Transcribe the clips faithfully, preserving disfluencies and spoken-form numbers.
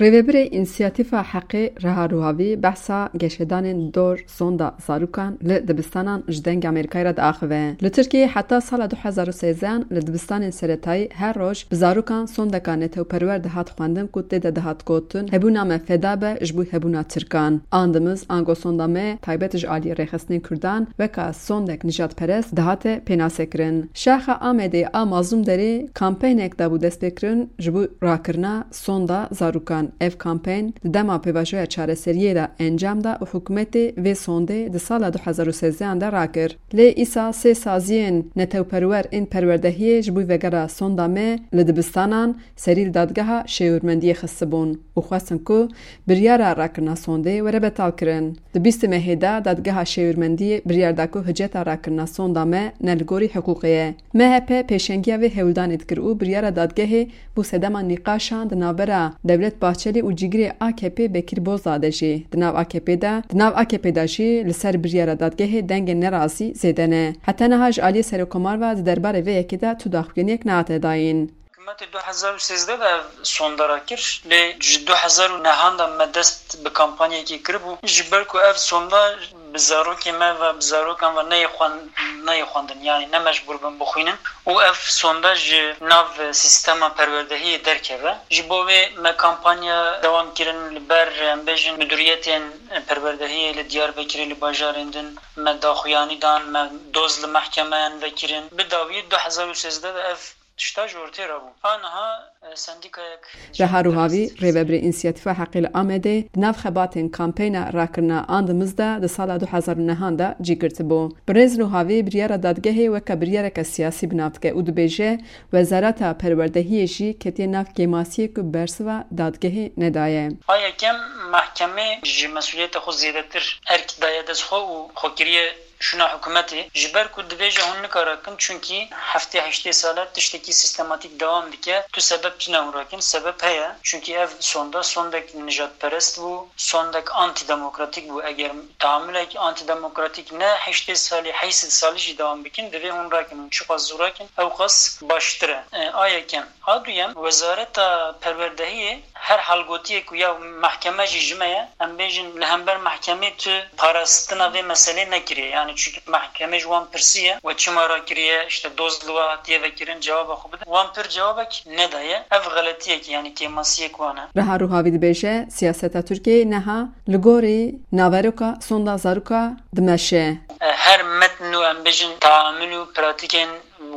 Rêvebirê Însiyatîfa Heqê Reha Ruhavî behsa geşedanên dor sonda zarûkan li dibistanan ji Dengê Amerîkayê re diaxive. Li Tirkiyeyê heta sala du hezar û sêzdeh li dibistanên seretayî her roj bi zarûkan sondeka netewperwer dihat xwendin ku tê de dihat gotin, hebûna me feda be ji bo hebûna Tirkan. Andimiz, ango sonda me taybet ji aliyê rêxistinên Kurdan weka sondek nijadperest dihate pênasekirin. Şaxa Amedê a Mazlûmderê kampeynek dabû destpêkirin ji bo rakirina sonda zarûkan. Ev kampeyn di dema pêvajoya çareseriyê de encam da û hikûmetê vê sondê di sala du hezar û sêzdeh de rakir. Lê îsal sê saziyên netewperwer ên perwerdehiyê ji bo vegera sonda me li dibistanan serî li dadgeha şêwirmendiyê xistibûn û xwestin ku biryara rakirina sondê were betalkirin. Di bîstê mehê de dadgeha şêwirmendiyê biryar da ku hiceta rakirina sonda me ne li gorî hiqûqê ye. M H P pêşengiya vê hewldanê dikir û biryara dadgehê bû sedema nîqaşan di navbera Dewlet Bahçelî û cîgirê A K P Bekir Bozdağ de jî. Di nav A K P de, di nav A K P de jî li ser biryara dadgehê dengên nerazî zêde ne. Heta niha ji aliyê Serokkomar ve di derbarê vê yekê de tu daxuyaniyek nehate dayîn. Hikûmetê du hezar û sêzdeh de ev sonda rakir, lê ji du hezar û nehan de me dest bi kampanyekê kiribû. Ji ber ku ev sonda bi zarokê me ve, bi zarokan ve neyê xwen-, neyê xwendin, yanî ne mecbûr bin bixwînin û ev sonda ji nav sîstema perwerdehiyê derkeve. Ji bo vê me kampanya dewam kirin li ber, em bêjin, midûriyetên perwerdehiyê li Diyarbekirê, li bajarên din me daxuyanî dan, me doz li mehkemeyan vekirin. Bi dawiyê du hezar û sêzdeh de ev tişta ji ortê re bû. Aniha, e, sendîkayek Reha Ruhavî, rêvebirê Însiyatîfa Heqê li Amedê, di nav xebatên kampeyna rakirina Andimiz de di sala du hezar û nehan de cî girtibû. Birêz Ruhavî biryara dadgehê weke biryareke siyasî bi nav dike û dibêje, Wezareta Perwerdehiyê jî ketiye nav kêmasiyê ku bersiva dadgehê nedaye. A yekem, mehkemê ji mesûliyeta xwe zêdetir erk daye dest xwe û xwe kiriye şûna hikûmetê, ji ber ku dibêje hûn nikare kin, çunkî heftê heştê sal e tiştekî sîstematîk dewam dike, tu sebeb tune hûn rakin, sebeb heye, çunkî ev sonda sondek nijadperest bû, sondek antîdemokratîk bû. Eger taamulek antîdemokratîk ne heştê salî, heyşt sed salî jî dewam bikin, divê hûn rakin, hûn çiqas zû rakin, ewqas baştir e. E, a yekem. A duyem, Wezareta Perwerdehiyê her halgotiyê ku ya mehkeme jî ji me ye, em bêjin li hember mehkemê tu parastina vê meselê nekiriye. Yani çunkî mehkemê ji wan pirsiye we çima rakiriye, işte doz li we hatiye vekirin, cewaba xwe bide. Wan pir cewabek nedaye. Ev xeletiyek, yani kêmasiyek wan e. Reha Ruhavî dibêje, siyaseta Tirkiyeyê neha li gorî naveroka sonda zaroka dimeşe. Her metn û em bêjin taamul û pratîkên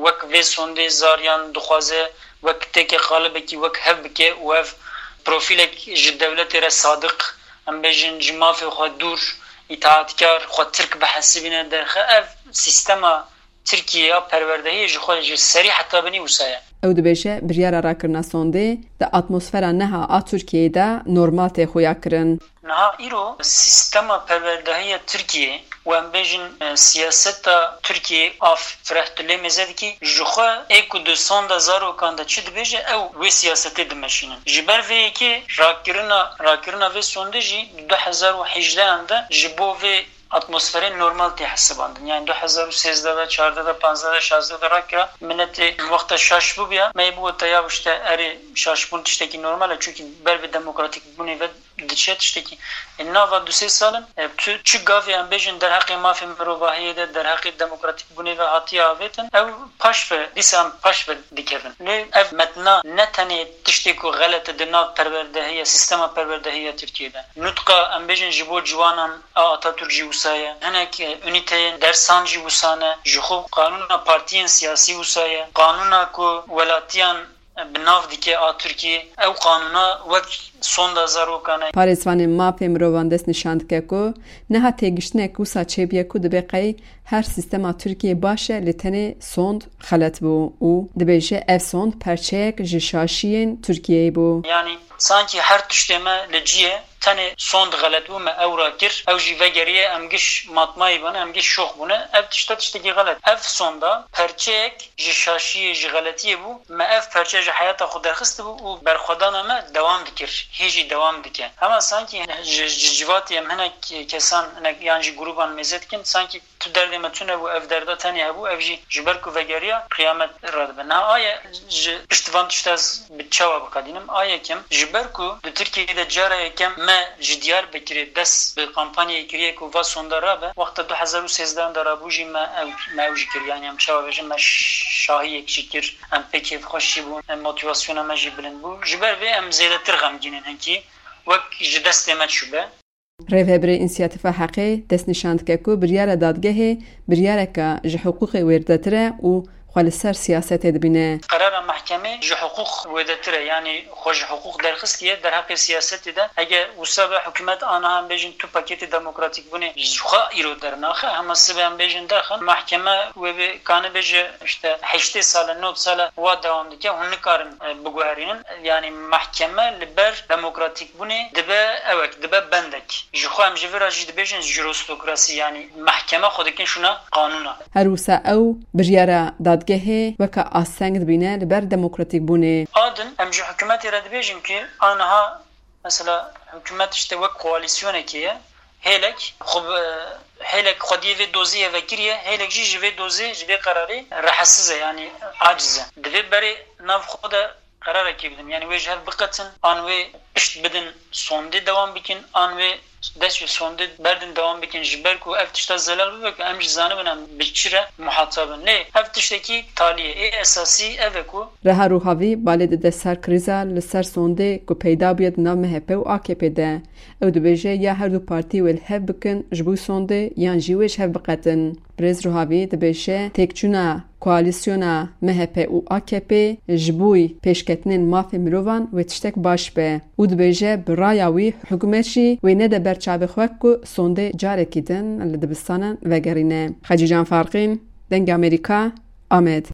wek vê sondê zariyan dixwaze wek têkê qalibekî wek hev bike û ev profîlek ji dewletê re sadiq, em bêjin ji mafê xwe dûr, îtaatkar, xwe Tirk bihesibîne derxe. Ev sîstema Tirkiyê ya perwerdehiyê ji xwe ji serî heta binî wisa ye. Ew dibêje, biryara rakirina sondê di atmosfera neha a Tirkiyeyê de normal tê xuyakirin. Niha îro sîstema perwerdehiya Tirkiyê û em bêjin, e, siyaseta Tirkiyê a Fireh tu lê mêze dikî, ji xwe ê ku di sonda zarokan de çi dibêje, ew wê siyasetê dimeşînin. Ji ber vê yekê rakirina, rakirina vê sondê jî di du hezar û hejdehan de ji bo vê atmosferê normal tê hesibandin. Yani du hezar û sêzdeh de, çardeh de, panzdeh de, şazdeh de rakira, miletê wexta şaş bûbûya, me yê bigote ya işte erê şaşbûn tiştekî normal e, çunkî ber bi demokratîk bûnê ve diçe tiştekî. E, nava du sê sal in, e, tu çi gavê em bêjin derheqê mafê mirovahiyê de, derheqê demokratîk bûnê ve hatiye avêtin, ew paş ve, dîsa em paş ve dikevin. Lê ev metna ne tenê tiştê ku xelet e di nav perwerdehiya, sîstema perwerdehiya Tirkiyê de. Nutqa, em bêjin, ji bo ciwanan a Atatürk jî wisa ye. Hinek, e, unîteyên dersan jî wisa ne. Ji xwe qanûna partiyên siyasî wisa ye. Qanûna ku welatiyan bi nav dike a Tirkiyê, ew qanûna wek sonda zarokan e. Parêzvanên mafê mirovan dest nîşan dike ku niha têgiştinek wisa çêbûye ku dibe qey her sîstema Tirkiyê baş e, lê tenê sond xelet bû û dibêje ev sond perçeyek ji şaşiyên Tirkiyeyê bû. Yani sankî her tiştê me li cî ye, tenê sond xelet bû, me ew rakir, ew jî vegeriye, em giş matmayî bûne, em giş şox bûne. Ev tişta tiştekî xelet. Ev sonda perçeyek ji şaşiyê, ji xeletiyê bû, me ev perçe ji heyata xwe derxistibû û berxwedana me dewam dikir, hê jî dewam dike. Hema sankî ji, ji civatê em hinek kesan, hinek yan jî grûban mêze dikin, sankî tu derdê me tune bû, ev derda tenê hebû, ev jî ji ber ku vegeriya qiyamet radibe. Niha aye ji pişt van tişta ez bi çawa biqedînim? A yekem, ji Ber ku di Tirkiyeyê de cara yekem me ji Diyarbekirê dest bi kampanyayê kiriye ku va sonda rabe, wexta du hezar û sêzdeh de rabû jî me ew, me ew jî kir. Yani em çawa bêjin, me şahiyek jî kir, em pê kêfxweş jî bûn, em motivasyona me jî bilind bû. Ji ber vê em zêdetir xemgîn in hinkî, wek ji destê me çûbe. Rêveberê Însiyatîfa Heqê destnîşan dike ku biryara dadgehê biryareke ji hiqûqê wêrdetir e û xwe li ser siyasetê dibîne. Qerara mehkemê ji hiqûq wêdetir e, yanî xwe ji hiqûq derxistiye derheqê siyasetê de. Eger wisa be hikûmet aniha em bêjin tu pakêtê demokratîkbûnê ji xwe îro dernaxe, hema sibe em bêjin derxin, mehkeme wê bê kane bêje işte heştê sal e, nod sal e wa dewam dike, hûn nikarin, e, biguherînin. Yanî mehkeme li ber demokratîk bûnê dibe ewek, dibe bendek. Ji xwe em ji vir re jî dibêjin jurostokrasî, yanî mehkeme xwe dikin şûna qanûna. Her wisa ew biryara dadgehê weke asteng dibîne li ber demokratîkbûnê. A din em ji hikûmetê re dibêjin ku aniha mesela hikûmet işte wek koalîsyonekê ye. Hêlek xwe bi, hêlek xwediyê vê dozê ye vekiriye, hêlek jî ji vê dozê, ji vê qerarê rehetsiz e, yanî aciz e. Divê berê nav xwe de qerarekê bidin. Yanî wê ji hev biqetin, an wê pişt bidin sondê dewam bikin, an wê dest ji sondê berdin dewam bikin, ji ber ku ev tişta zelal bibe ku em jî zanibin em bi çi re muhatab in. Lê ev tiştekî talî ye. Ê esasî ev e ku Reha Ruhavî balê dide ser krîza li ser sondê ku peyda bûye di nav M H P û A K P de. Ew dibêje ya her du partî wê li hev bikin ji bo sondê yan jî wê ji hev biqetin. Birêz Ruhavî dibêje têkçûna koalîsyona M H P û A K P ji bo pêşketinên mafê mirovan wê tiştek baş be û dibêje bi raya wî hikûmet jî wê nede ber çavê xwe ku sondê carekî din li dibistanan vegerîne. Xecîcan Farqîn, Dengê Amerîka, Amed.